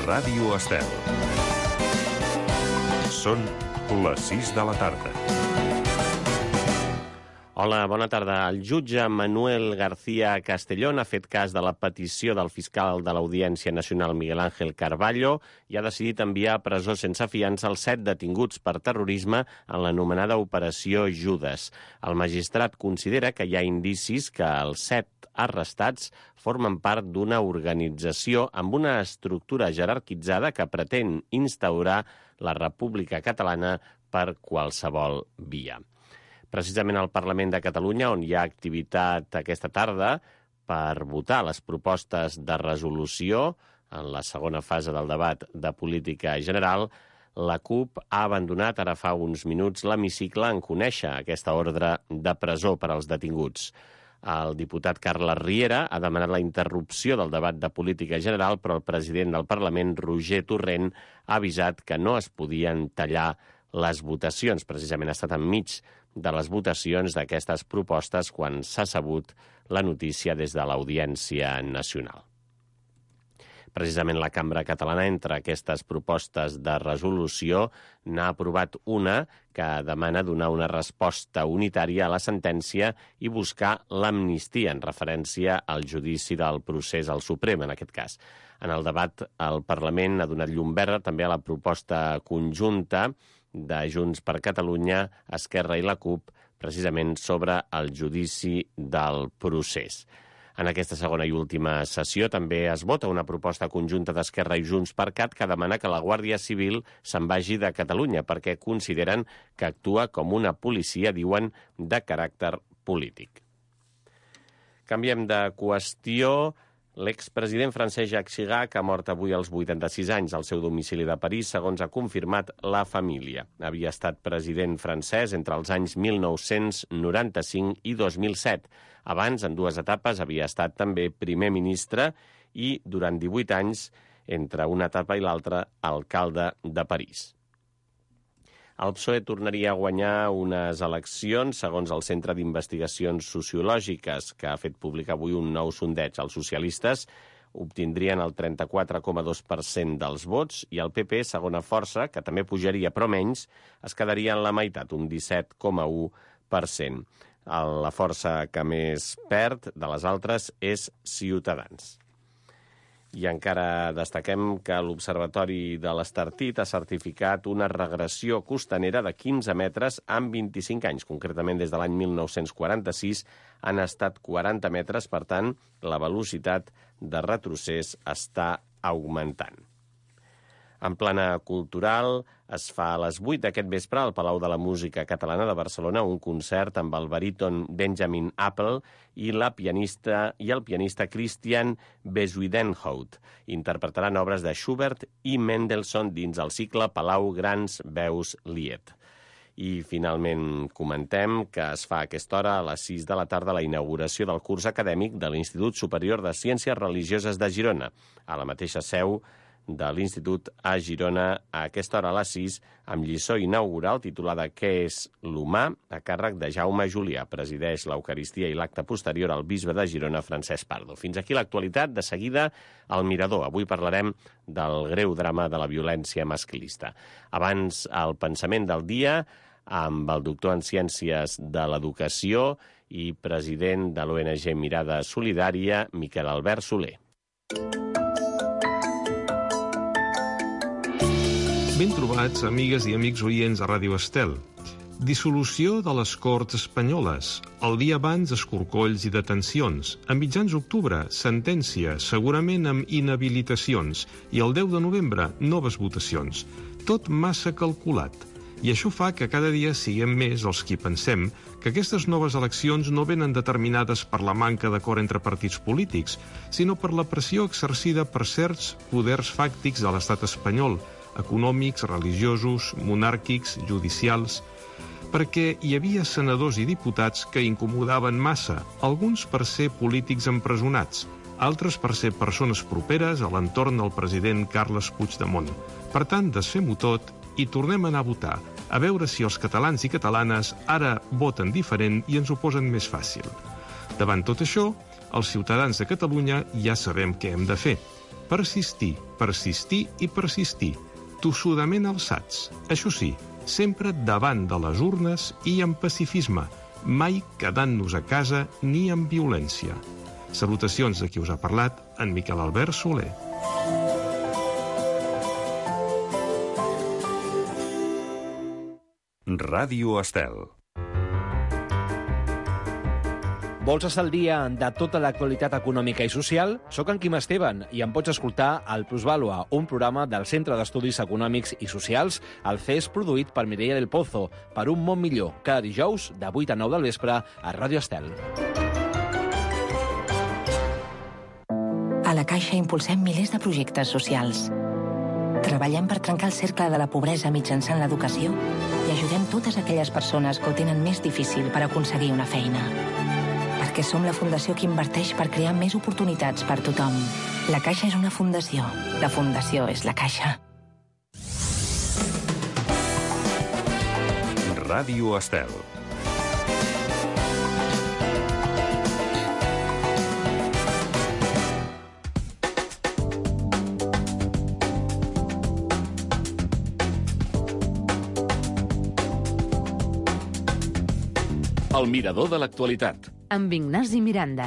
Ràdio Estel. Són les 6 de la tarda. Hola, bona tarda. El jutge Manuel García Castellón ha fet cas de la petició del fiscal de l'Audiència Nacional Miguel Ángel Carballo i ha decidit enviar a presó sense fiança els 7 detinguts per terrorisme en l'anomenada Operació Judes. El magistrat considera que hi ha indicis que els 7 arrestats formen part d'una organització amb una estructura jerarquitzada que pretén instaurar la República Catalana per qualsevol via. Precisament al Parlament de Catalunya, on hi ha activitat aquesta tarda per votar les propostes de resolució en la segona fase del debat de política general, la CUP ha abandonat ara fa uns minuts l'hemicicle en conèixer aquesta ordre de presó per als detinguts. El diputat Carles Riera ha demanat la interrupció del debat de política general, però el president del Parlament, Roger Torrent, ha avisat que no es podien tallar les votacions. Precisament ha estat enmig de les votacions d'aquestes propostes quan s'ha sabut la notícia des de l'Audiència Nacional. Precisament la Cambra Catalana, entre aquestes propostes de resolució, n'ha aprovat una que demana donar una resposta unitària a la sentència i buscar l'amnistia en referència al judici del procés al Suprem, en aquest cas. En el debat, el Parlament ha donat llum verda també a la proposta conjunta de Junts per Catalunya, Esquerra i la CUP, precisament sobre el judici del procés. En aquesta segona i última sessió també es vota una proposta conjunta d'Esquerra i Junts per Cat que demana que la Guàrdia Civil se'n vagi de Catalunya perquè consideren que actua com una policia, diuen, de caràcter polític. Canviem de qüestió. L'expresident francès Jacques Chirac ha mort avui als 86 anys al seu domicili de París, segons ha confirmat la família. Havia estat president francès entre els anys 1995 i 2007. Abans, en 2 etapes, havia estat també primer ministre i, durant 18 anys, entre una etapa i l'altra, alcalde de París. El PSOE tornaria a guanyar unes eleccions, segons el Centre d'Investigacions Sociològiques, que ha fet públic avui un nou sondeig. Els socialistes obtindrien el 34,2% dels vots i el PP, segona força, que també pujaria però menys, es quedaria en la meitat, un 17,1%. La força que més perd de les altres és Ciutadans. I encara destaquem que l'Observatori de l'Estartit ha certificat una regressió costanera de 15 metres en 25 anys. Concretament, des de l'any 1946 han estat 40 metres, per tant, la velocitat de retrocés està augmentant. En plana cultural, es fa a les 8 d'aquest vespre al Palau de la Música Catalana de Barcelona un concert amb el baríton Benjamin Apple i el pianista Christian Bezuidenhout. Interpretaran obres de Schubert i Mendelssohn dins el cicle Palau Grans Veus Lied. I finalment comentem que es fa a aquesta hora a les 6 de la tarda la inauguració del curs acadèmic de l'Institut Superior de Ciències Religioses de Girona, a la mateixa seu de l'Institut a Girona, a aquesta hora a les 6, amb lliçó inaugural titulada Què és l'humà?, a càrrec de Jaume Julià. Presideix l'Eucaristia i l'acte posterior al bisbe de Girona, Francesc Pardo. Fins aquí l'actualitat. De seguida, al Mirador. Avui parlarem del greu drama de la violència masclista. Abans, el pensament del dia amb el doctor en Ciències de l'Educació i president de l'ONG Mirada Solidària, Miquel Albert Soler. Ben trobats, amigues i amics oients de Ràdio Estel. Dissolució de les Corts Espanyoles. El dia abans, escorcolls i detencions. A mitjans d'octubre, sentència, segurament amb inhabilitacions. I el 10 de novembre, noves votacions. Tot massa calculat. I això fa que cada dia siguem més els qui pensem que aquestes noves eleccions no venen determinades per la manca d'acord entre partits polítics, sinó per la pressió exercida per certs poders fàctics de l'estat espanyol, econòmics, religiosos, monàrquics, judicials, perquè hi havia senadors i diputats que incomodaven massa, alguns per ser polítics empresonats, altres per ser persones properes a l'entorn del president Carles Puigdemont. Per tant, desfem-ho tot i tornem a anar a votar, a veure si els catalans i catalanes ara voten diferent i ens ho posen més fàcil. Davant tot això, els ciutadans de Catalunya ja sabem què hem de fer. Persistir, persistir i persistir, tossudament alçats. Això sí, sempre davant de les urnes i amb pacifisme, mai quedant-nos a casa ni amb violència. Salutacions de qui us ha parlat, en Miquel Albert Soler. Ràdio Estel. Vols estar al dia de tota l'actualitat econòmica i social? Soc en Quim Esteban i em pots escoltar al Plusvàlua, un programa del Centre d'Estudis Econòmics i Socials, el CES, produït per Mireia del Pozo, per un món millor, cada dijous de 8 a 9 del vespre a Ràdio Estel. A la Caixa impulsem milers de projectes socials. Treballem per trencar el cercle de la pobresa mitjançant l'educació i ajudem totes aquelles persones que ho tenen més difícil per aconseguir una feina. Perquè som la fundació que inverteix per crear més oportunitats per tothom. La Caixa és una fundació. La fundació és la Caixa. Ràdio Estel. El mirador de l'actualitat. Amb Ignasi Miranda.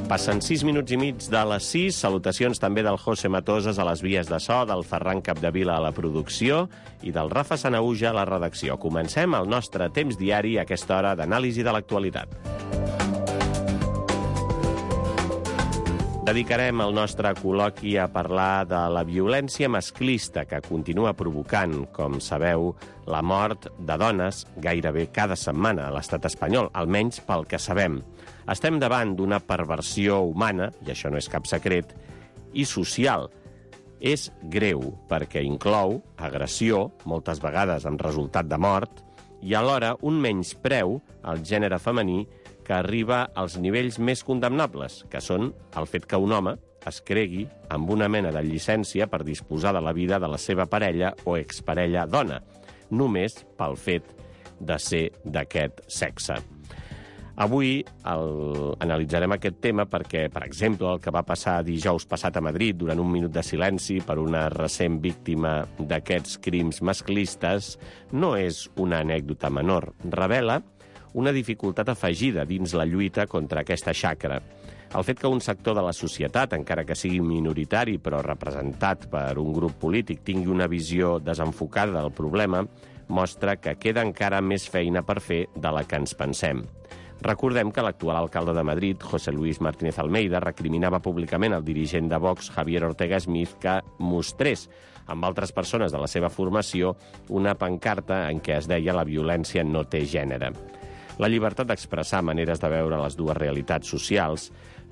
Passen 6 minuts i mig de les 6. Salutacions també del José Matoses a les vies de so, del Ferran Capdevila a la producció i del Rafa Sanauja a la redacció. Comencem el nostre temps diari a aquesta hora d'anàlisi de l'actualitat. Dedicarem el nostre col·loqui a parlar de la violència masclista que continua provocant, com sabeu, la mort de dones gairebé cada setmana a l'estat espanyol, almenys pel que sabem. Estem davant d'una perversió humana, i això no és cap secret, i social. És greu perquè inclou agressió, moltes vegades amb resultat de mort, i alhora un menyspreu al gènere femení que arriba als nivells més condemnables, que són el fet que un home es cregui amb una mena de llicència per disposar de la vida de la seva parella o exparella dona, només pel fet de ser d'aquest sexe. Avui analitzarem aquest tema perquè, per exemple, el que va passar dijous passat a Madrid durant un minut de silenci per una recent víctima d'aquests crims masclistes no és una anècdota menor. Revela una dificultat afegida dins la lluita contra aquesta xacra. El fet que un sector de la societat, encara que sigui minoritari però representat per un grup polític, tingui una visió desenfocada del problema, mostra que queda encara més feina per fer de la que ens pensem. Recordem que l'actual alcalde de Madrid, José Luis Martínez Almeida, recriminava públicament al dirigent de Vox, Javier Ortega Smith, que mostrés amb altres persones de la seva formació una pancarta en què es deia «La violència no té gènere». La llibertat d'expressar maneres de veure les dues realitats socials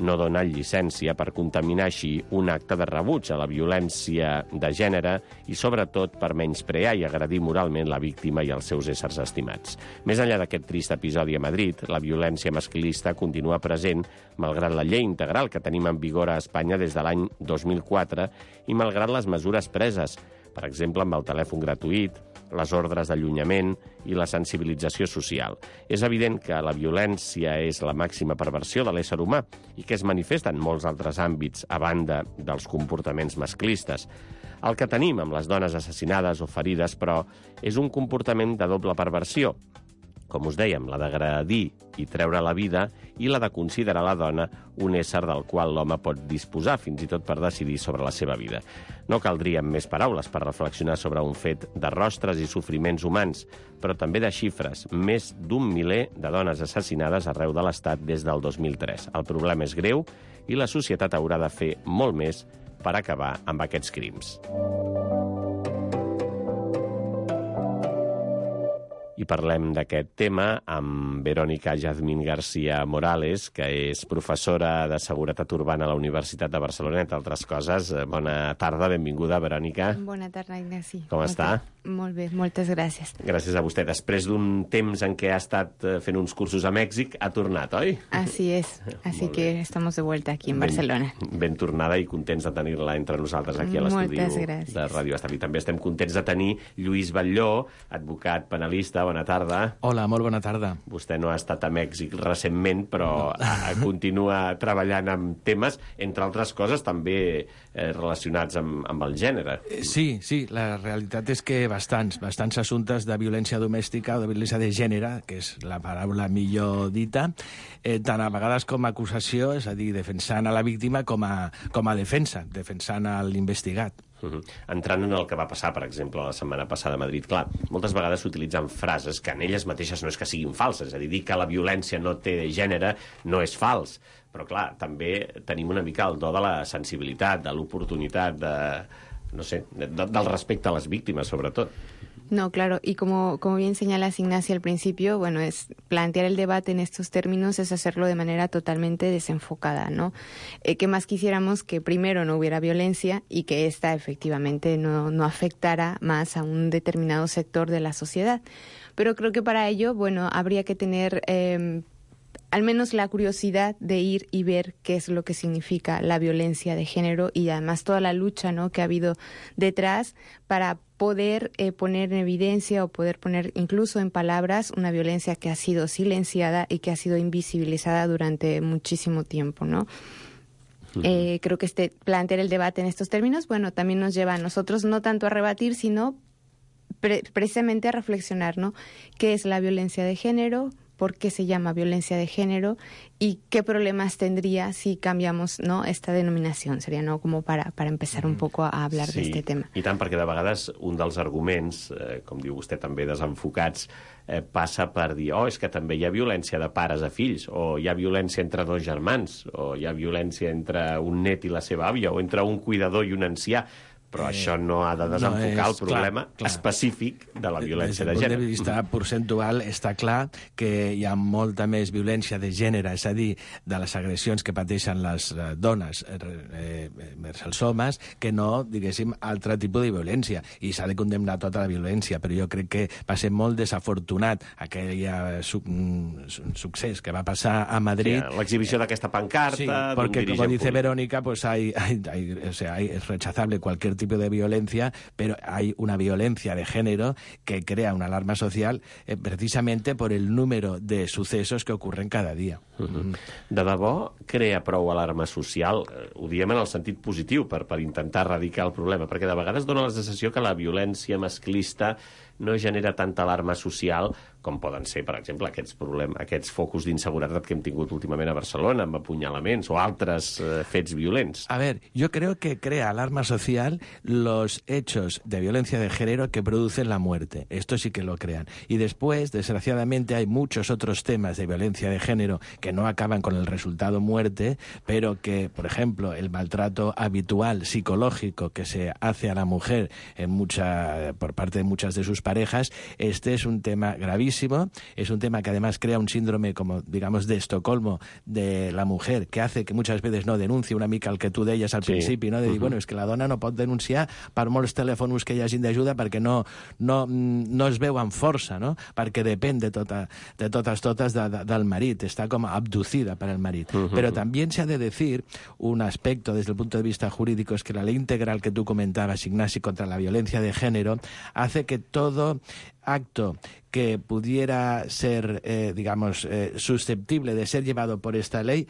no dona llicència per contaminar així un acte de rebuig a la violència de gènere i, sobretot, per menysprear i agredir moralment la víctima i els seus éssers estimats. Més enllà d'aquest trist episodi a Madrid, la violència masclista continua present malgrat la llei integral que tenim en vigor a Espanya des de l'any 2004 i malgrat les mesures preses, per exemple, amb el telèfon gratuït, les ordres d'allunyament i la sensibilització social. És evident que la violència és la màxima perversió de l'ésser humà i que es manifesta en molts altres àmbits a banda dels comportaments masclistes. El que tenim amb les dones assassinades o ferides, però, és un comportament de doble perversió. Com us dèiem, la d'agredir i treure la vida i la de considerar la dona un ésser del qual l'home pot disposar, fins i tot per decidir sobre la seva vida. No caldrien més paraules per reflexionar sobre un fet de rostres i sofriments humans, però també de xifres. Més d'1 miler de dones assassinades arreu de l'Estat des del 2003. El problema és greu i la societat haurà de fer molt més per acabar amb aquests crims. I parlem d'aquest tema amb Verónica Jazmín García Morales, que és professora de Seguretat Urbana a la Universitat de Barcelona, entre altres coses. Bona tarda, benvinguda, Verónica. Bona tarda, Ignasi. Com està? Molt bé, moltes gràcies. Gràcies a vostè. Després d'un temps en què ha estat fent uns cursos a Mèxic, ha tornat, oi? Así es, así que estamos de vuelta aquí en Barcelona. Ben tornada i contents de tenir-la entre nosaltres aquí a l'estudi de Ràdio Estel. I també estem contents de tenir Lluís Batlló, advocat penalista. Bona tarda. Hola, molt bona tarda. Vostè no ha estat a Mèxic recentment, però continua treballant amb temes, entre altres coses, també relacionats amb el gènere. Sí, la realitat és que bastants assumptes de violència domèstica o de violència de gènere, que és la paraula millor dita, tant a vegades com a acusació, és a dir, defensant a la víctima com a defensa, defensant a l'investigat. Entrant en el que va passar, per exemple, la setmana passada a Madrid, clar, moltes vegades s'utilitzen frases que en elles mateixes no és que siguin falses, és a dir que la violència no té gènere no és fals, però clar, també tenim una mica el do de la sensibilitat, de l'oportunitat, del respecte a les víctimes, sobretot. No, claro, y como bien señalas, Ignacio, al principio, bueno, es plantear el debate en estos términos es hacerlo de manera totalmente desenfocada, ¿no? ¿Qué más quisiéramos? Que primero no hubiera violencia y que esta efectivamente no afectara más a un determinado sector de la sociedad. Pero creo que para ello, bueno, habría que tener al menos la curiosidad de ir y ver qué es lo que significa la violencia de género y además toda la lucha, ¿no?, que ha habido detrás para poder poner en evidencia o poder poner incluso en palabras una violencia que ha sido silenciada y que ha sido invisibilizada durante muchísimo tiempo, ¿no? Creo que plantear el debate en estos términos, bueno, también nos lleva a nosotros no tanto a rebatir, sino precisamente a reflexionar, ¿no? ¿Qué es la violencia de género? ¿Por qué se llama violencia de género? ¿Y qué problemas tendría si cambiamos, no, esta denominación? Seria, no, como para empezar un poco a hablar d'este tema. I tant, perquè de vegades un dels arguments, com diu vostè també, desenfocats, passa per dir, és que també hi ha violència de pares a fills, o hi ha violència entre dos germans, o hi ha violència entre un net i la seva àvia, o entre un cuidador i un ancià. Però això no ha de desenfocar el problema específic de la violència de gènere. Des del punt de vista percentual està clar que hi ha molta més violència de gènere, és a dir, de les agressions que pateixen les dones vers els homes, que no, diguéssim, altre tipus de violència. I s'ha de condemnar tota la violència, però jo crec que va ser molt desafortunat aquell succés que va passar a Madrid. Sí, l'exhibició d'aquesta pancarta... Sí, perquè, com dice Verónica, pues es rechazable cualquier tipo de violencia, pero hay una violencia de género que crea una alarma social precisamente por el número de sucesos que ocurren cada día. De debò crea prou alarma social? Ho diem en el sentit positiu per intentar erradicar el problema, perquè de vegades dona la sensació que la violència masclista no genera tanta alarma social com poden ser, per exemple, aquests focus d'inseguretat que hem tingut últimament a Barcelona, amb apunyalaments o altres fets violents. A ver, yo creo que crea alarma social los hechos de violencia de género que producen la muerte. Esto sí que lo crean. Y después, desgraciadamente, hay muchos otros temas de violencia de género que no acaban con el resultado muerte, pero que, por ejemplo, el maltrato habitual psicológico que se hace a la mujer por parte de muchas de sus parejas, este es un tema gravísimo. Es un tema que además crea un síndrome, como digamos, de Estocolmo de la mujer, que hace que muchas veces no denuncie, una mica el que tu deies al principi, no? De dir, bueno, és que la dona no pot denunciar per molts telèfons que hi hagin d'ajuda perquè no es veu amb força, no? Perquè depèn de totes del marit, està com abducida per el marit. Pero también se ha de decir un aspecto desde el punto de vista jurídico, es que la ley integral que tú comentabas, Ignasi, contra la violencia de género, hace que todo acto que pudiera ser, susceptible de ser llevado por esta ley,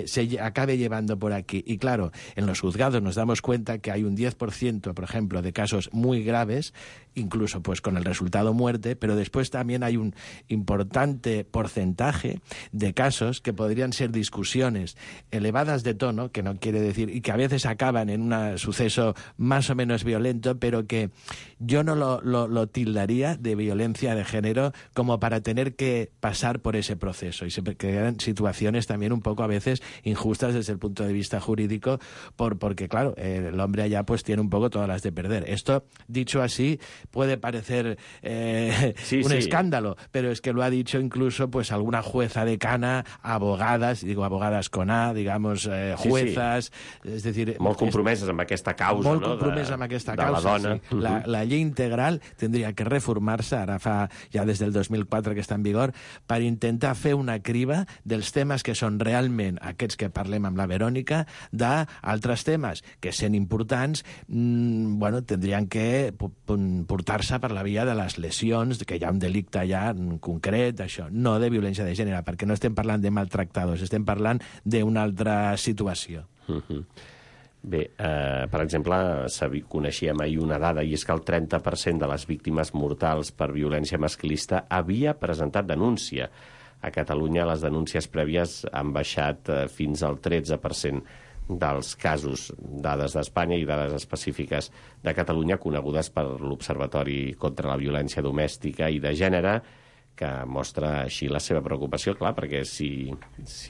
se acabe llevando por aquí. Y claro, en los juzgados nos damos cuenta que hay un 10%, por ejemplo, de casos muy graves, incluso pues con el resultado muerte, pero después también hay un importante porcentaje de casos que podrían ser discusiones elevadas de tono, que no quiere decir, y que a veces acaban en un suceso más o menos violento, pero que yo no lo tildaría de violencia de género como para tener que pasar por ese proceso. Y se crean situaciones también un poco a veces injustas desde el punto de vista jurídico, porque claro, el hombre allá pues tiene un poco todas las de perder. Esto, dicho así, puede parecer un escándalo, pero es que lo ha dicho incluso pues alguna jueza decana, abogadas, digo abogadas con A, digamos, juezas, és a dir... Molt compromeses amb aquesta causa, molt no? Compromesa amb aquesta de causa, la dona. Sí. La llei integral tindria que reformar-se, ara fa ja des del 2004 que està en vigor, per intentar fer una criba dels temes que són realment aquests que parlem amb la Verònica, d'altres temes que, sent importants, bueno, tindrien que portar-se per la via de les lesions, que hi ha un delicte allà en concret, això, no de violència de gènere, perquè no estem parlant de maltractadors, estem parlant d'una altra situació. Bé, per exemple, coneixíem ahir una dada, i és que el 30% de les víctimes mortals per violència masclista havia presentat denúncia. A Catalunya les denúncies prèvies han baixat fins al 13% dels casos, dades d'Espanya i dades específiques de Catalunya conegudes per l'Observatori contra la Violència Domèstica i de Gènere, que mostra així la seva preocupació, clar, perquè si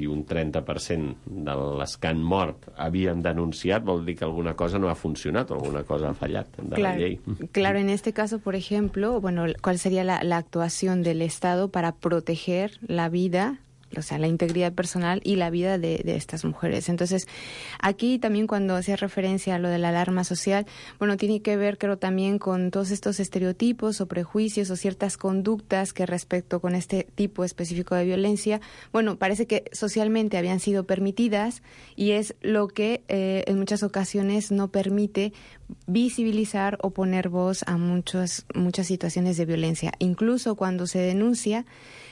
un 30% de les que han mort havien denunciat, vol dir que alguna cosa no ha funcionat o alguna cosa ha fallat de la llei. Claro, en este caso, por ejemplo, bueno, ¿cuál sería la actuación del Estado para proteger la vida, o sea, la integridad personal y la vida de estas mujeres? Entonces, aquí también cuando hacía referencia a lo de la alarma social, bueno, tiene que ver, creo, también con todos estos estereotipos o prejuicios o ciertas conductas que respecto con este tipo específico de violencia, bueno, parece que socialmente habían sido permitidas y es lo que en muchas ocasiones no permite visibilizar o poner voz a muchas situaciones de violencia. Incluso cuando se denuncia,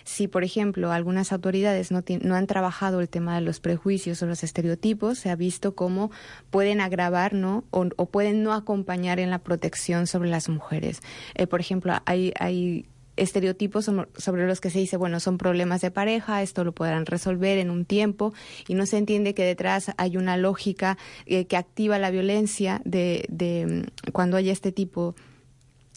si, por ejemplo, algunas autoridades no han trabajado el tema de los prejuicios o los estereotipos, se ha visto cómo pueden agravar, ¿no? o pueden no acompañar en la protección sobre las mujeres. Por ejemplo, hay estereotipos sobre los que se dice, bueno, son problemas de pareja, esto lo podrán resolver en un tiempo, y no se entiende que detrás hay una lógica que activa la violencia de cuando hay este tipo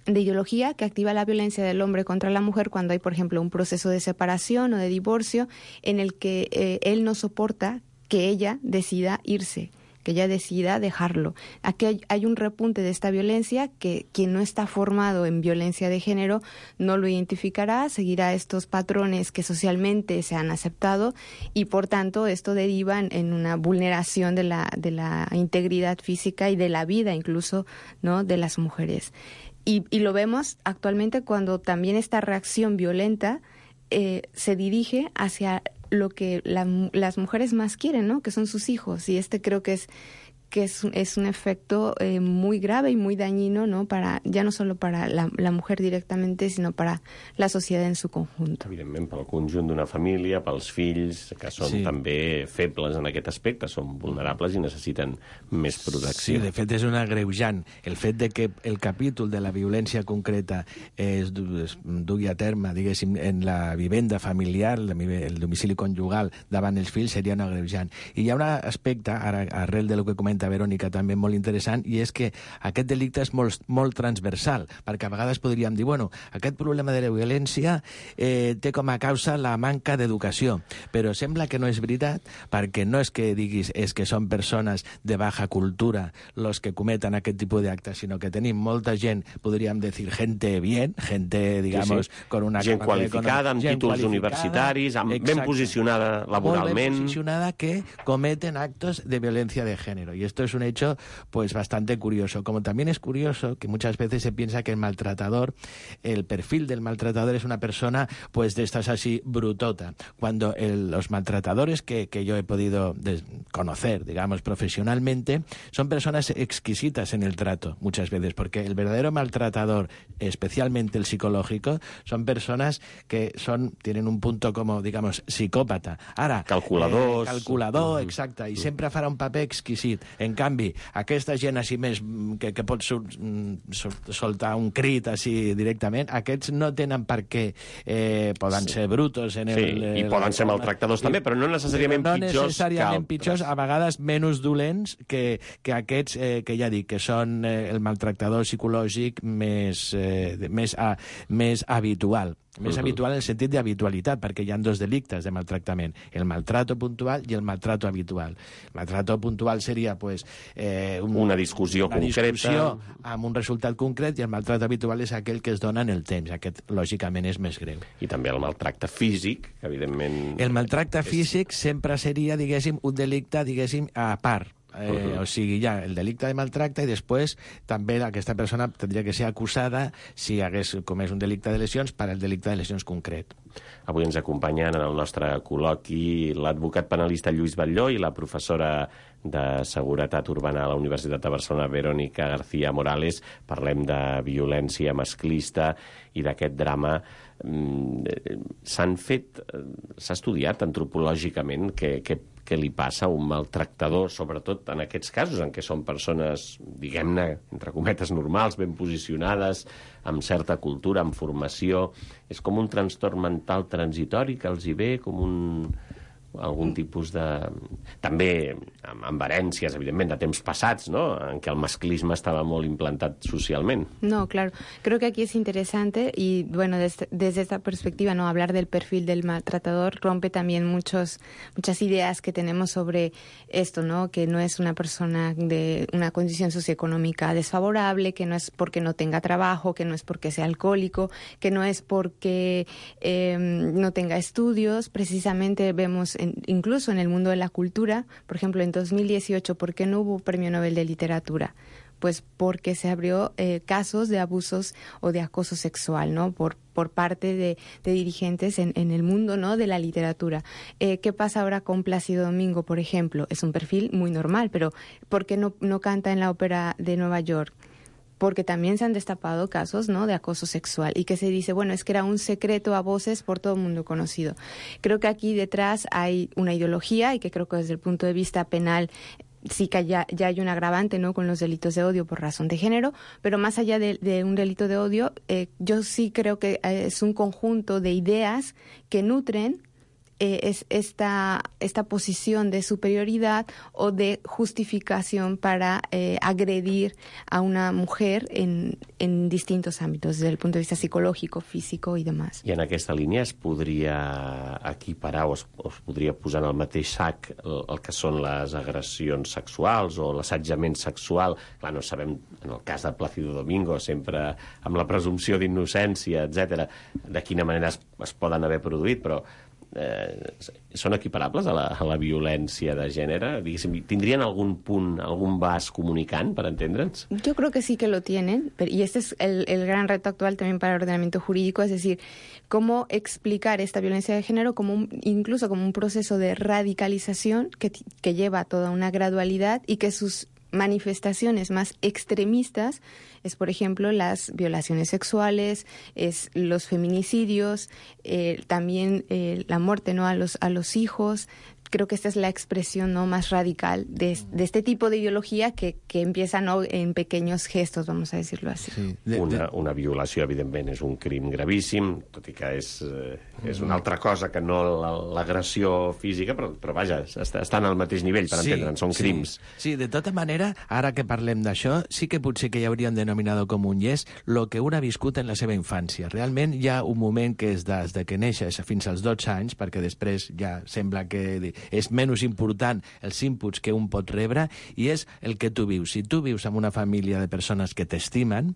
de ideología, que activa la violencia del hombre contra la mujer cuando hay, por ejemplo, un proceso de separación o de divorcio en el que él no soporta que ella decida irse, que ella decida dejarlo. Aquí hay un repunte de esta violencia que quien no está formado en violencia de género no lo identificará, seguirá estos patrones que socialmente se han aceptado y, por tanto, esto deriva en una vulneración de la integridad física y de la vida incluso, ¿no?, de las mujeres. Y lo vemos actualmente cuando también esta reacción violenta se dirige hacia lo que las mujeres más quieren, ¿no?, que son sus hijos. Y creo que es un efecto muy grave y muy dañino, ¿no?, ya no solo para la mujer directamente, sinó para la societat en su conjunto. Evidentment, pel conjunt d'una família, pels fills, que són també febles en aquest aspecte, són vulnerables i necessiten més protecció. Sí, de fet és un agreujant. El fet de que el capítol de la violència concreta es dugui a terme, diguéssim, en la vivenda familiar, el domicili conjugal davant els fills, seria un agreujant. I hi ha un aspecte, ara, arrel de lo que comenta Verònica, també molt interessant, i és que aquest delicte és molt transversal, perquè a vegades podríem dir, bueno, aquest problema de la violència té com a causa la manca d'educació, però sembla que no és veritat, perquè no és que diguis és que són persones de baja cultura los que cometen aquest tipus d'actes, sinó que tenim molta gent, podríem dir, gente bien, gente, digamos, con una gent qualificada, amb títols universitaris, ben posicionada laboralment. Molt ben posicionada, que cometen actos de violencia de género. Y esto es un hecho pues bastante curioso. Como también es curioso que muchas veces se piensa que el maltratador, el perfil del maltratador es una persona pues de estas así brutota, cuando los maltratadores que yo he podido conocer, digamos, profesionalmente, son personas exquisitas en el trato muchas veces, porque el verdadero maltratador, especialmente el psicológico, son personas que tienen un punto como, digamos, psicòpata. Ara, calculador, exacte, i sempre farà un paper exquisit. En canvi, aquesta gent així més que pot soltar un crit així directament, aquests no tenen per què, poden ser brutos i poden ser maltractadors també, però no necessàriament pitjors, a vegades menys dolents que aquests que ja dic, que són el maltractador psicològic més habitual. Més habitual en el sentit d'habitualitat, perquè hi ha dos delictes de maltractament, el maltrato puntual i el maltrato habitual. El maltrato puntual seria una discussió concreta amb un resultat concret, i el maltrato habitual és aquell que es dona en el temps. Aquest, lògicament, és més greu. I també el maltracte físic, que evidentment... El maltracte físic sempre seria, diguéssim, un delicte, diguéssim, a part. O sigui, hi ha el delicte de maltracte i després també aquesta persona tindria que ser acusada, si hagués comès un delicte de lesions, per al delicte de lesions concret. Avui ens acompanyen en el nostre col·loqui l'advocat penalista Lluís Batlló i la professora de Seguretat Urbana a la Universitat de Barcelona, Verónica García Morales. Parlem de violència masclista i d'aquest drama. S'ha estudiat antropològicament què li passa a un maltractador, sobretot en aquests casos en què són persones, diguem-ne, entre cometes, normals, ben posicionades, amb certa cultura, amb formació. És com un trastorn mental transitori que els hi ve, com algun tipus de... També amb herències, evidentment, de temps passats, ¿no?, en què el masclisme estaba molt implantat socialmente. No, claro. Creo que aquí es interesante y, bueno, desde esta perspectiva, ¿no?, hablar del perfil del maltratador rompe también muchas ideas que tenemos sobre esto, ¿no?, que no es una persona de una condición socioeconómica desfavorable, que no es porque no tenga trabajo, que no es porque sea alcohólico, que no es porque no tenga estudios. Precisamente vemos incluso en el mundo de la cultura, por ejemplo, en 2018, ¿por qué no hubo Premio Nobel de Literatura? Pues porque se abrió casos de abusos o de acoso sexual, ¿no?, por parte de dirigentes en el mundo, ¿no?, de la literatura. ¿Qué pasa ahora con Plácido Domingo, por ejemplo? Es un perfil muy normal, pero ¿por qué no canta en la Ópera de Nueva York? Porque también se han destapado casos, ¿no?, de acoso sexual, y que se dice, bueno, es que era un secreto a voces por todo el mundo conocido. Creo que aquí detrás hay una ideología, y que creo que desde el punto de vista penal sí que ya hay un agravante, ¿no?, con los delitos de odio por razón de género, pero más allá de un delito de odio, yo sí creo que es un conjunto de ideas que nutren es esta posición de superioridad o de justificación para agredir a una mujer en distintos ámbitos, desde el punto de vista psicològic, físic i demás. I en aquesta línia es podria equiparar o es podria posar en el mateix sac el que són les agressions sexuals o l'assetjament sexual? Clar, no sabem, en el cas de Plácido Domingo, sempre amb la presumpció d'innocència, etc., de quina manera es poden haver produït, però són equiparables a la violència de gènere? ¿Tindrien algún punt, algún vas comunicant, para entendre'ns? Yo creo que sí que lo tienen, y este es el gran reto actual también para el ordenamiento jurídico, es decir, cómo explicar esta violencia de género incluso como un proceso de radicalización que lleva a toda una gradualidad y que sus manifestaciones más extremistas es, por ejemplo, las violaciones sexuales, es los feminicidios, también la muerte, ¿no?, a los hijos. Creo que esta es la expresión, ¿no?, más radical de este tipo de ideología que empieza, ¿no?, en pequeños gestos, vamos a decirlo así. Sí. Una violació, evidentment, és un crim gravíssim, tot i que és una altra cosa que no l'agressió física, però vaja, estan al mateix nivell, per entendre'ns, són crims. Sí, de tota manera, ara que parlem d'això, sí que potser que hi hauria un denominador comú, i és el que un ha viscut en la seva infància. Realment hi ha un moment que és des que neixes fins als 12 anys, perquè després ja sembla que és menys important els inputs que un pot rebre, i és el que tu vius. Si tu vius en una família de persones que t'estimen,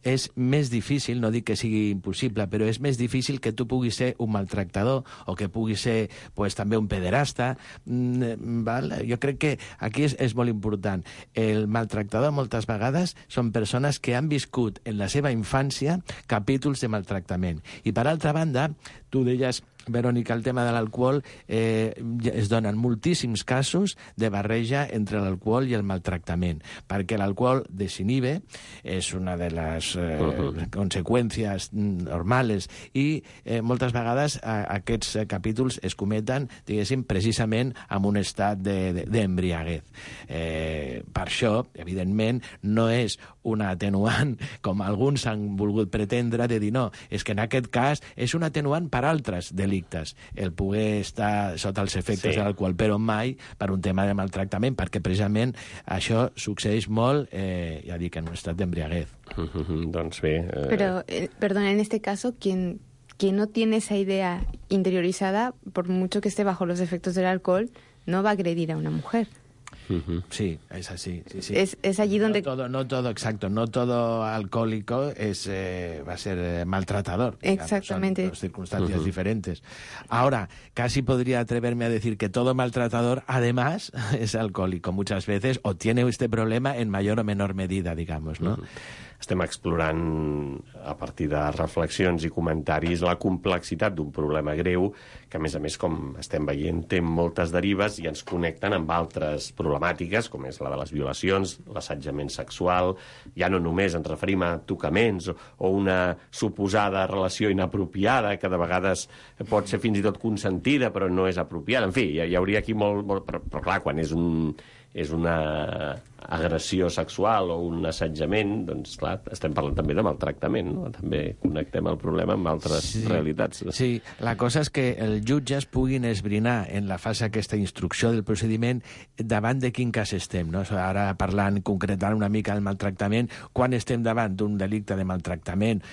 és més difícil, no dic que sigui impossible, però és més difícil que tu puguis ser un maltractador o que puguis ser també un pederasta. Jo crec que aquí és molt important. El maltractador moltes vegades són persones que han viscut en la seva infància capítols de maltractament. I per altra banda, tu deies, Verònica, el tema de l'alcohol, es donen moltíssims casos de barreja entre l'alcohol i el maltractament, perquè l'alcohol desinhibe, és una de les conseqüències normals, i moltes vegades aquests capítols es cometen, diguéssim, precisament en un estat d'embriaguez. Per això, evidentment, no és una atenuant, com alguns han volgut pretendre, de dir no, és que en aquest cas és un atenuant per altres delictes, el poder estar sota els efectes de l'alcohol, però mai per un tema de maltractament, perquè precisament això succeeix molt, ja dic, en un estat d'embriaguez. Doncs bé... Pero, perdón, en este caso, quien quien no tiene esa idea interiorizada, por mucho que esté bajo los efectos del alcohol, no va a agredir a una mujer. Sí, es así. Sí. Es allí donde... No todo alcohólico va a ser maltratador. Digamos. Exactamente. Son dos circunstancias diferentes. Ahora, casi podría atreverme a decir que todo maltratador, además, es alcohòlico muchas veces, o tiene este problema en mayor o menor medida, digamos, ¿no? Estem explorant, a partir de reflexions i comentaris, la complexitat d'un problema greu que, a més, com estem veient, té moltes derives i ens connecten amb altres problemàtiques, com és la de les violacions, l'assetjament sexual. Ja no només ens referim a tocaments o una suposada relació inapropiada, que de vegades pot ser fins i tot consentida, però no és apropiada. En fi, hi hauria aquí molt... Però clar, quan és una agressió sexual o un assetjament, doncs clar, estem parlant també de maltractament, no? També connectem el problema amb altres realitats. Sí, la cosa és que els jutges puguin esbrinar en la fase aquesta instrucció del procediment davant de quin cas estem, no? Ara parlant, concretant una mica el maltractament, quan estem davant d'un delicte de maltractament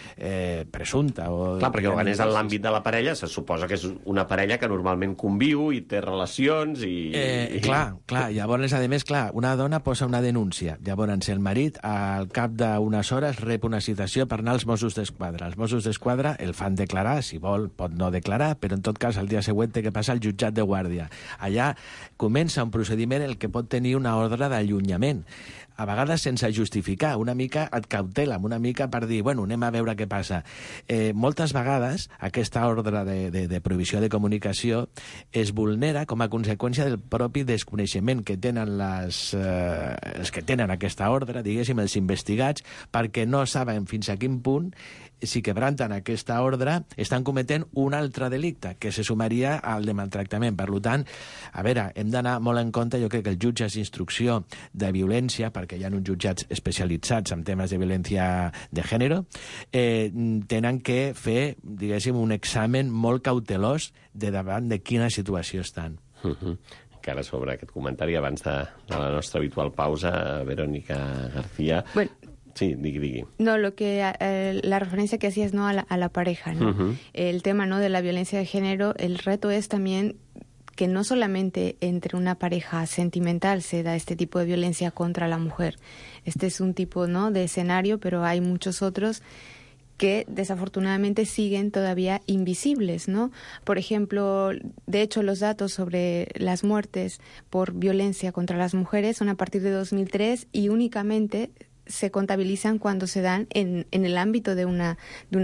presumpte o... Clar, perquè quan és en l'àmbit de la parella, se suposa que és una parella que normalment conviu i té relacions i... Clar, llavors, a més, una dona posa una denúncia. Llavors, el marit, al cap d'unes hores, rep una citació per anar als Mossos d'Esquadra. Els Mossos d'Esquadra el fan declarar, si vol pot no declarar, però en tot cas el dia següent té que passar al jutjat de guàrdia. Allà comença un procediment en el que pot tenir una ordre d'allunyament, a vegades sense justificar, una mica et cautela, una mica per dir, bueno, anem a veure què passa. Moltes vegades aquesta ordre de prohibició de comunicació es vulnera com a conseqüència del propi desconeixement que tenen els que tenen aquesta ordre, diguéssim, els investigats, perquè no saben fins a quin punt, si quebranten aquesta ordre, estan cometent un altre delicte, que se sumaria al de maltractament. Per tant, a veure, hem d'anar molt en compte, jo crec que els jutges d'instrucció de violència, perquè hi ha uns jutjats especialitzats en temes de violència de gènere, tenen que fer, diguéssim, un examen molt cautelós de davant de quina situació estan. Encara sobre aquest comentari, abans de la nostra habitual pausa, Verónica García... Bueno, sí, digui. No, la referencia que hacías, ¿no? a la pareja, ¿no? El tema, ¿no? de la violencia de género, el reto es también que no solamente entre una pareja sentimental se da este tipo de violencia contra la mujer. Este es un tipo, ¿no? de escenario, pero hay muchos otros que desafortunadamente siguen todavía invisibles, ¿no? Por ejemplo, de hecho, los datos sobre las muertes por violencia contra las mujeres son a partir de 2003 y únicamente se contabilizan cuando se dan en el ámbito de una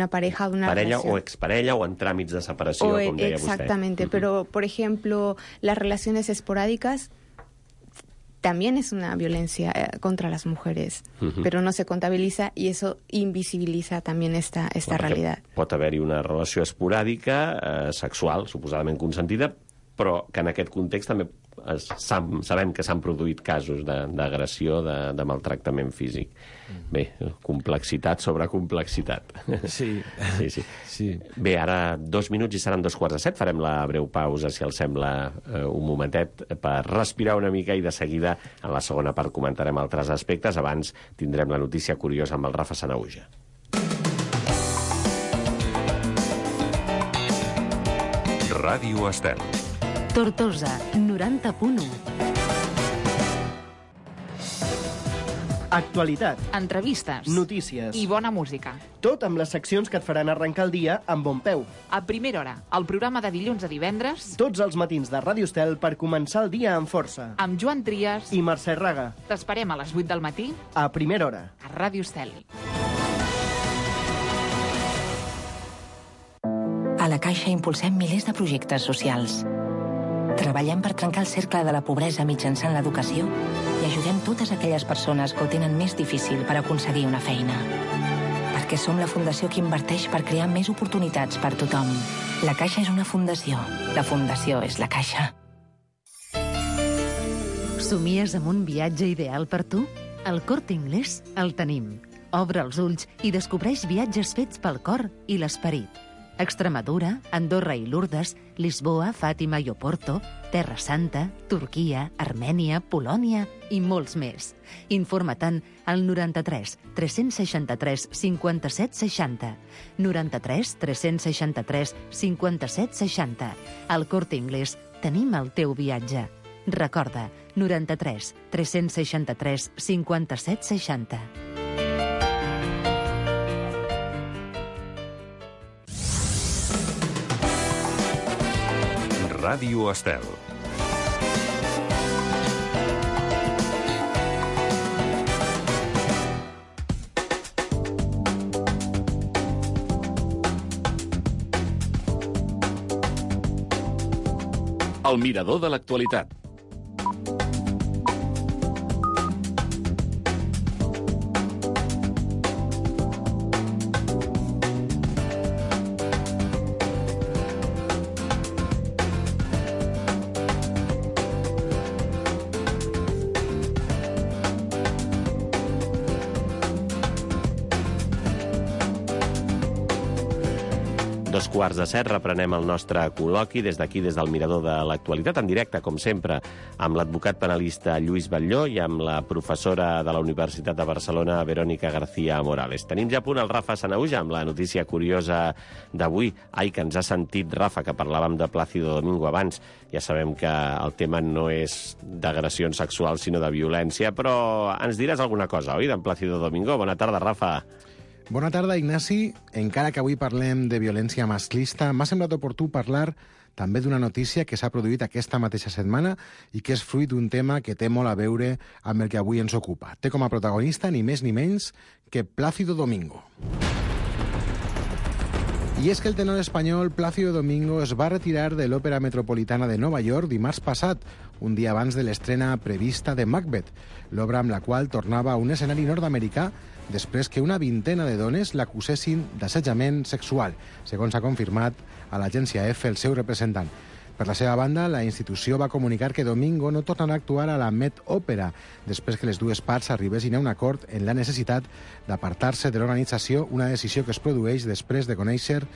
pareja o de una parella relación. O exparella o en tràmits de separació, com deia vostè. Exactamente, pero, por ejemplo, las relaciones esporádicas también es una violencia contra las mujeres, pero no se contabiliza y eso invisibiliza también esta realidad. Pot haver-hi una relació esporàdica, sexual, suposadament consentida, però que en aquest context també sabem que s'han produït casos d'agressió, de maltractament físic. Bé, complexitat sobre complexitat. Sí. Bé, ara 2 minuts i seran 2:15. Farem la breu pausa, si els sembla, un momentet, per respirar una mica i de seguida, en la segona part, comentarem altres aspectes. Abans tindrem la notícia curiosa amb el Rafa Sanauja. Ràdio Estel. Tortosa, 90.1. Actualitat, Entrevistes, notícies i bona música. Tot amb les seccions que et faran arrencar el dia amb bon peu. A primera hora, el programa de dilluns a divendres, Tots els matins de Ràdio Estel per començar el dia amb força. amb Joan Trias. I Mercè Raga, T'esperem a les 8 del matí a primera hora. a Ràdio Estel. A la Caixa impulsem milers de projectes socials. Treballem per trencar el cercle de la pobresa mitjançant l'educació i ajudem totes aquelles persones que ho tenen més difícil per aconseguir una feina. Perquè som la fundació que inverteix per crear més oportunitats per tothom. La Caixa és una fundació. La fundació és la Caixa. Somies amb un viatge ideal per tu? Al Corte Inglés el tenim. Obre els ulls i descobreix viatges fets pel cor i l'esperit. Extremadura, Andorra i Lourdes, Lisboa, Fàtima i Oporto, Terra Santa, Turquia, Armènia, Polònia i molts més. Informa-te'n al 93 363 57 60. 93 363 57 60. Al Corte Inglés tenim el teu viatge. Recorda, 93 363 57 60. Ràdio Estel. El mirador de l'actualitat. Dos quarts de set, reprenem el nostre col·loqui des d'aquí, des del Mirador de l'Actualitat, en directe, com sempre, amb l'advocat penalista Lluís Batlló i amb la professora de la Universitat de Barcelona, Verónica García Morales. Tenim ja a punt el Rafa Sanahuja amb la notícia curiosa d'avui. Ai, que ens ha sentit, Rafa, que parlàvem de Plácido Domingo abans. Ja sabem que el tema no és d'agressions sexuals, sinó de violència, però ens diràs alguna cosa, oi, d'en Plácido Domingo? Bona tarda, Rafa. Bona tarda, Ignasi. Encara que avui parlem de violència masclista, m'ha semblat oportú parlar també d'una notícia que s'ha produït aquesta mateixa setmana i que és fruit d'un tema que té molt a veure amb el que avui ens ocupa. Té com a protagonista ni més ni menys que Plácido Domingo. I és que el tenor espanyol Plácido Domingo es va retirar de l'Òpera Metropolitana de Nova York dimarts passat, un dia abans de l'estrena prevista de Macbeth, l'obra amb la qual tornava a un escenari nord-americà després que una vintena de dones l'acusessin d'assetjament sexual, segons ha confirmat a l'agència EFE el seu representant. Per la seva banda, la institució va comunicar que Domingo no tornarà a actuar a la Met Òpera després que les dues parts arribessin a un acord en la necessitat d'apartar-se de l'organització, una decisió que es produeix després de conèixer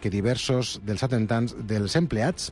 que diversos dels empleats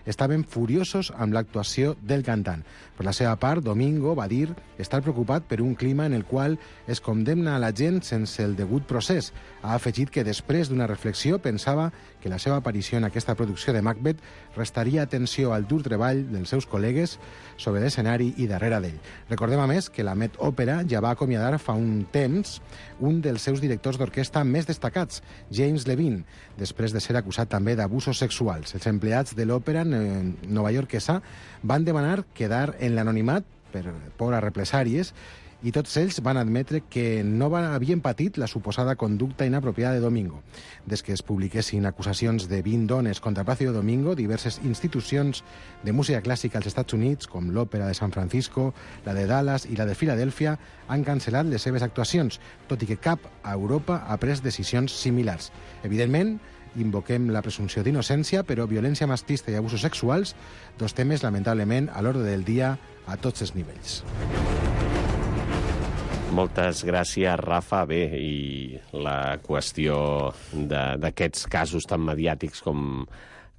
estaven furiosos amb l'actuació del cantant. Per la seva part, Domingo va dir estar preocupat per un clima en el qual es condemna a la gent sense el degut procés. Ha afegit que després d'una reflexió pensava que la seva aparició en aquesta producció de Macbeth restaria atenció al dur treball dels seus col·legues sobre l'escenari i darrere d'ell. Recordem, a més, que la Met Òpera ja va acomiadar fa un temps un dels seus directors d'orquestra més destacats, James Levine, després de ser acusat també d'abusos sexuals. Els empleats de l'òpera novaiorquesa van demanar quedar en l'anonimat per por a represàries i tots ells van admetre que no havien patit la suposada conducta inapropiada de Domingo. Des que es publiquessin acusacions de 20 dones contra Plácido Domingo, diverses institucions de música clàssica als Estats Units, com l'Òpera de San Francisco, la de Dallas i la de Filadèlfia, han cancel·lat les seves actuacions, tot i que cap a Europa ha pres decisions similars. Evidentment, invoquem la presumpció d'innocència, però violència masclista i abusos sexuals, dos temes, lamentablement, a l'ordre del dia a tots els nivells. Moltes gràcies, Rafa. Bé, i la qüestió d'aquests casos tan mediàtics com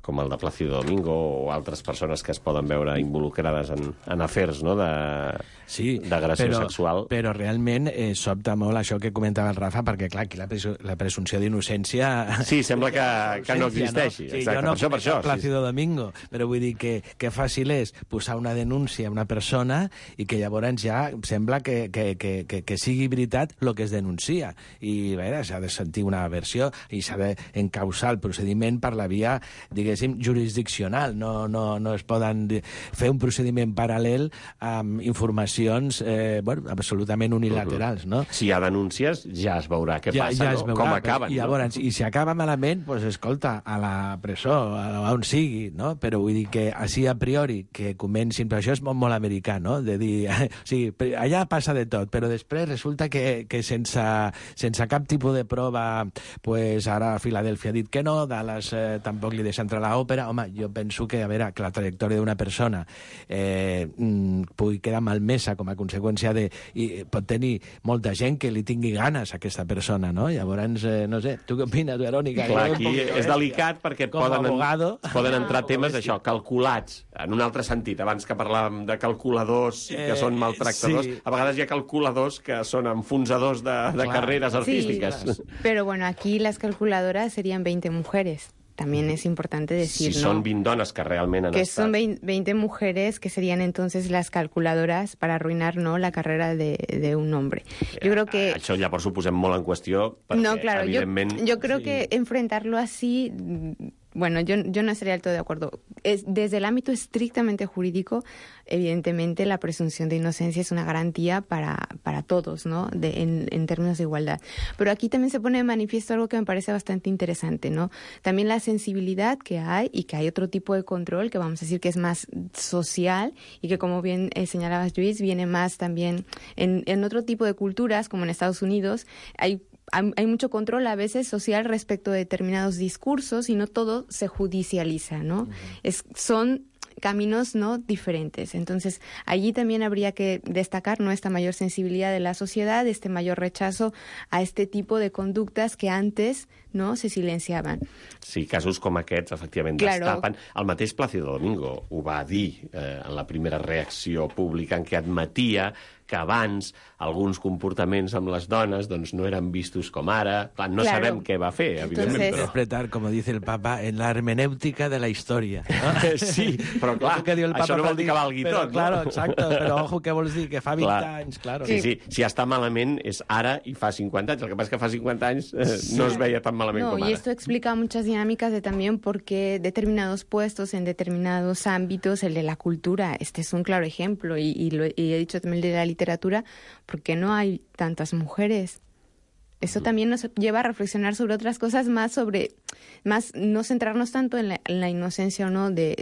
el de Plácido Domingo o altres persones que es poden veure involucrades en afers, no?, d'agressió sexual. Però realment sobta molt això que comentava el Rafa, perquè, clar, aquí la presumpció d'innocència... Sí, sembla que no existeixi. No? Sí, exacte, jo no per això. Plácido Domingo, però vull dir que fàcil és posar una denúncia a una persona i que llavors ja sembla que sigui veritat el que es denuncia. I, a veure, s'ha de sentir una versió i s'ha d'encausar el procediment per la via, diguéssim, jurisdiccional. No es poden fer un procediment paral·lel amb informacions absolutament unilaterals, no? Si hi ha denúncies, ja es veurà què passa, no? Com acaben. I llavors, i si acaba malament, doncs escolta, a la presó, a on sigui, no? Però vull dir que així a priori que comencin, però això és molt americà, no? De dir, sí, allà passa de tot, però després resulta que sense cap tipus de prova, pues ara Filadèlfia ha dit que no, Dallas tampoc li deixa entrar l'òpera, home, jo penso que, a veure, que la trajectòria d'una persona pugui quedar malmesa com a conseqüència de... I pot tenir molta gent que li tingui ganes a aquesta persona, no? Llavors, no sé, tu què opines, Verònica? Clar, aquí és delicat perquè poden entrar temes d'això, calculats, en un altre sentit. Abans que parlàvem de calculadors que són maltractadors, a vegades hi ha calculadors que són enfonsadors de carreres artístiques. Sí, pero bueno, aquí las calculadoras serían 20 mujeres. También es importante decir, si son 20 dones que realment han que estat... son 20 mujeres que serían entonces las calculadoras para arruinar, ¿no?, la carrera de un hombre. Yo creo que... Això llavors ho posem molt en qüestió perquè, no, claro, evidentment... yo creo que enfrentarlo así... Bueno, yo no estaría del todo de acuerdo. Desde el ámbito estrictamente jurídico, evidentemente la presunción de inocencia es una garantía para todos, ¿no?, en términos de igualdad. Pero aquí también se pone de manifiesto algo que me parece bastante interesante, ¿no? También la sensibilidad que hay y que hay otro tipo de control que vamos a decir que es más social y que, como bien señalabas, Luis, viene más también en otro tipo de culturas, como en Estados Unidos. Hay mucho control a veces social respecto de determinados discursos y no todo se judicializa, ¿no? Son caminos, ¿no?, diferentes. Entonces, allí también habría que destacar, ¿no?, esta mayor sensibilidad de la sociedad, este mayor rechazo a este tipo de conductes que antes, no, se silenciaven. Sí, casos com aquests, efectivament, destapen. El mateix Plácido Domingo ho va dir en la primera reacció pública en què admetia que abans alguns comportaments amb les dones doncs, no eren vistos com ara. Clar, no sabem què va fer, evidentment. Entonces... Interpretar, com dice el Papa, en la hermenèutica de la història. ¿No? Sí, però clar, això no vol dir que valgui tot. Claro, exacto, però ojo, què vols dir? Que fa 20 anys, claro. Sí, sí, si està malament és ara i fa 50 anys. El que passa és que fa 50 anys no es veia tan malament com ara. Y esto explica muchas dinámicas de también por qué determinados puestos en determinados ámbitos, el de la cultura, este es un claro ejemplo, y he dicho también el de la literatura, porque no hay tantas mujeres. Eso también nos lleva a reflexionar sobre otras cosas, más no centrarnos tanto en la inocencia o no de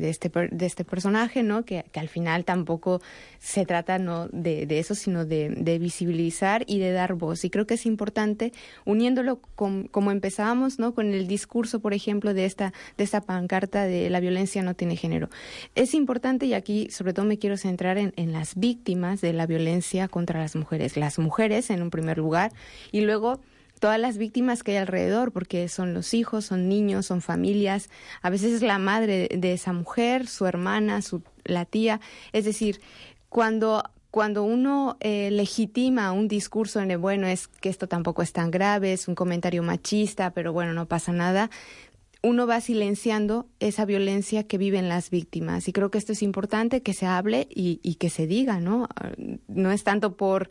este personaje, ¿no? Que al final tampoco se trata, ¿no?, de eso, sino de visibilizar y de dar voz. Y creo que es importante, uniéndolo como empezábamos, ¿no?, con el discurso, por ejemplo, de esta pancarta de la violencia no tiene género. Es importante, y aquí sobre todo me quiero centrar en las víctimas de la violencia contra las mujeres. Las mujeres, en un primer lugar, y luego todas las víctimas que hay alrededor, porque son los hijos, son niños, son familias, a veces es la madre de esa mujer, su hermana, la tía. Es decir, cuando uno legitima un discurso en el, bueno, es que esto tampoco es tan grave, es un comentario machista, pero bueno, no pasa nada, uno va silenciando esa violencia que viven las víctimas. Y creo que esto es importante, que se hable y que se diga, ¿no? No es tanto por...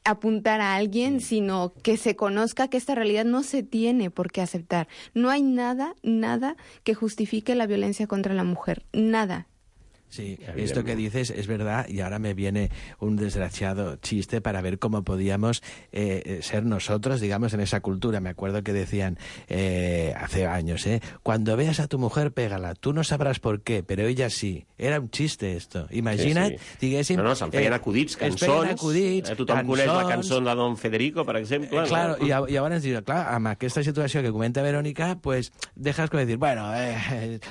apuntar a alguien, sino que se conozca que esta realidad no se tiene por qué aceptar. No hay nada que justifique la violencia contra la mujer. Nada. Sí, esto que dices es verdad, y ahora me viene un desgraciado chiste para ver cómo podíamos ser nosotros, digamos, en esa cultura. Me acuerdo que decían hace años, cuando veas a tu mujer, pégala. Tú no sabrás por qué, pero ella sí. Era un chiste esto. Imagina't, diguéssim... No, se'n feien acudits, cançons. Tothom coneix la cançó de Don Federico, per exemple. Claro, i llavors dius, clar, amb aquesta situació que comenta Verònica, pues dejas com dir, bueno,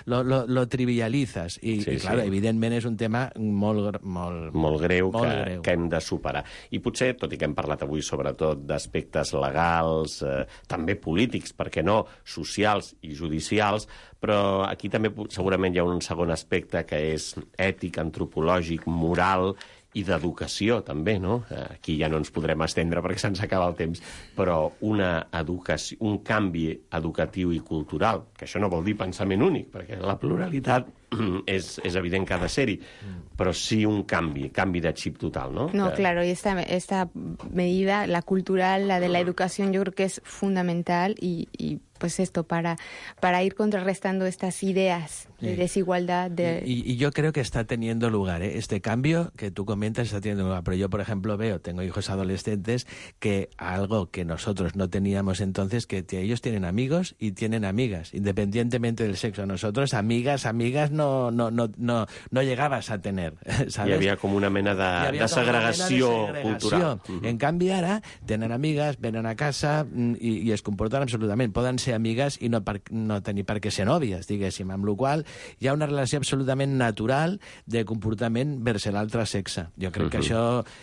lo trivializas. I claro, evidentment és un tema molt greu que hem de superar. I potser, tot i que hem parlat avui sobretot d'aspectes legals, també polítics, per què no, socials i judicials, però aquí també segurament hi ha un segon aspecte que és ètic, antropològic, moral i d'educació, també, no? Aquí ja no ens podrem estendre perquè se'ns acaba el temps, però un canvi educatiu i cultural, que això no vol dir pensament únic, perquè la pluralitat és evident que ha de ser-hi, però sí un canvi de xip total, ¿no? No, claro, y esta medida, la cultural, la de la educación, yo creo que es fundamental y pues esto, para ir contrarrestando estas ideas de desigualdad. Y yo creo que está teniendo lugar, este cambio que tú comentas está teniendo lugar, pero yo, por ejemplo, tengo hijos adolescentes, que algo que nosotros no teníamos entonces, que ellos tienen amigos y tienen amigas, independientemente del sexo. Nosotros, amigas no llegabas a tener, ¿sabes? Hi havia com una mena de segregació cultural. En canvi, ara tenen amigues, venen a casa i es comporten absolutament. Poden ser ser amigues i no tenir per què ser nòvies, diguéssim, amb la qual hi ha una relació absolutament natural de comportament vers l'altre sexe. Jo crec que això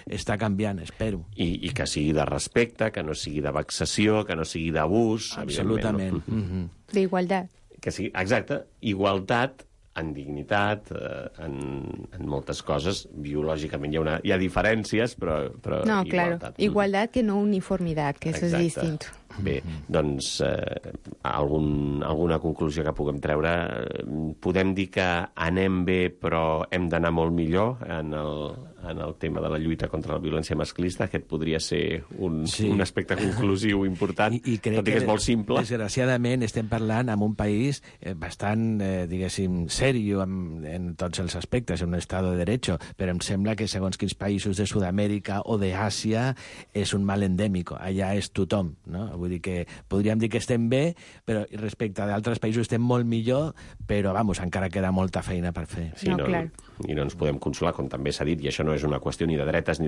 està canviant, espero. I que sigui de respecte, que no sigui de vexació, que no sigui d'abús, absolutament. No? D'igualtat. Que sigui, exacte, igualtat en dignitat, en moltes coses. Biològicament hi ha diferències, però no, igualtat. Claro. Igualdad que no uniformidad, que eso es distinto. Bé, doncs alguna conclusió que puguem treure. Podem dir que anem bé, però hem d'anar molt millor en el tema de la lluita contra la violència masclista. Aquest podria ser un aspecte conclusiu important, I crec tot i que és molt simple. Desgraciadament estem parlant amb un país bastant, diguéssim, serio en tots els aspectes, un estat de derecho, però em sembla que segons quins països de Sud-amèrica o d'Àsia és un mal endèmic. Allà és tothom, no? Vull dir que podríem dir que estem bé, però respecte d'altres països estem molt millor, però, encara queda molta feina per fer. Sí, I no ens podem consolar, com també s'ha dit, i això no és una qüestió ni de dretes ni